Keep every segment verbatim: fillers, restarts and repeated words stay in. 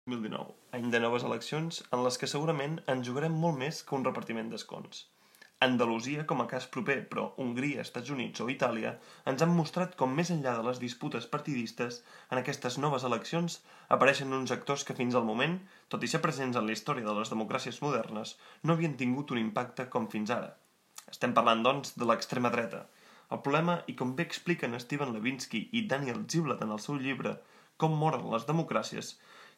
dos mil dinou, any de noves eleccions en les que segurament en jugarem molt més que un repartiment d'escons. Andalusia, com a cas proper, però Hongria, Estats Units o Itàlia ens han mostrat com més enllà de les disputes partidistes, en aquestes noves eleccions apareixen uns actors que fins al moment, tot i ser presents en la història de les democràcies modernes, no havien tingut un impacte com fins ara. Estem parlant, doncs, de l'extrema dreta. El problema, i com bé expliquen Steven Levinsky i Daniel Ziblatt en el seu llibre Com moren les democràcies,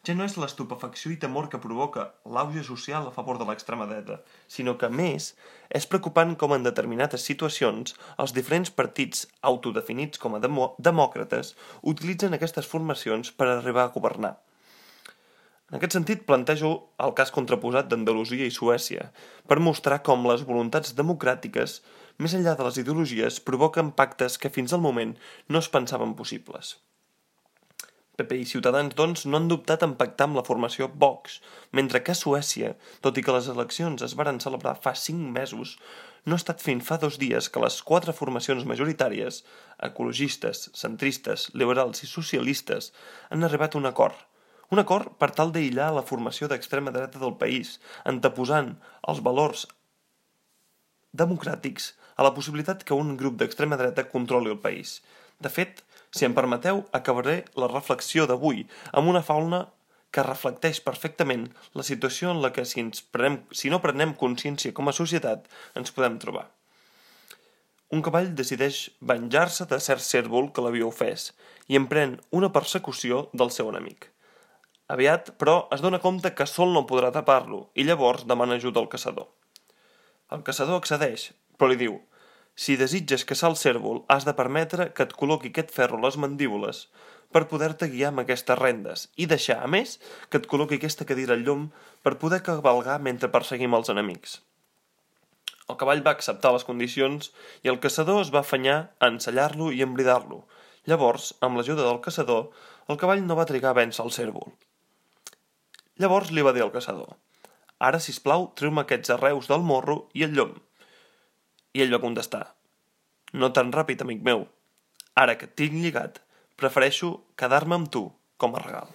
ja no és l'estupefacció i temor que provoca l'auge social a favor de l'extrema dreta, sinó que, a més, és preocupant com en determinades situacions els diferents partits autodefinits com a demo demòcrates utilitzen aquestes formacions per arribar a governar. En aquest sentit, plantejo el cas contraposat d'Andalusia i Suècia, per mostrar com les voluntats democràtiques, més enllà de les ideologies, provoquen pactes que fins al moment no es pensaven possibles. P P i Ciutadans, doncs, no han dubtat en pactar amb la formació Vox, mentre que a Suècia, tot i que les eleccions es varen celebrar fa cinc mesos, no ha estat fins fa dos dies que les quatre formacions majoritàries, ecologistes, centristes, liberals i socialistes, han arribat a un acord. Un acord per tal d'aïllar la formació d'extrema dreta del país, anteposant els valors democràtics a la possibilitat que un grup d'extrema dreta controli el país. De fet, si em permeteu, acabaré la reflexió d'avui amb una faula que reflecteix perfectament la situació en la que si, ens prenem, si no prenem consciència com a societat ens podem trobar. Un cavall decideix venjar-se de cert cérvol que l'havia ofès i emprèn una persecució del seu enemic. Aviat, però, es dona compte que sol no podrà tapar-lo i llavors demana ajuda al caçador. El caçador accedeix, però li diu: si desitges caçar el cérvol, has de permetre que et col·loqui aquest ferro a les mandíbules per poder-te guiar amb aquestes rendes i deixar, a més, que et col·loqui aquesta cadira al llom per poder cavalgar mentre perseguim els enemics. El cavall va acceptar les condicions i el caçador es va afanyar a ensellar-lo i embridar-lo. Llavors, amb l'ajuda del caçador, el cavall no va trigar a vèncer el cérvol. Llavors li va dir al caçador: ara, sisplau, treu-me aquests arreus del morro i el llom. I ell va contestar: no tan ràpid, amic meu. Ara que et tinc lligat, prefereixo quedar-me amb tu com a regal.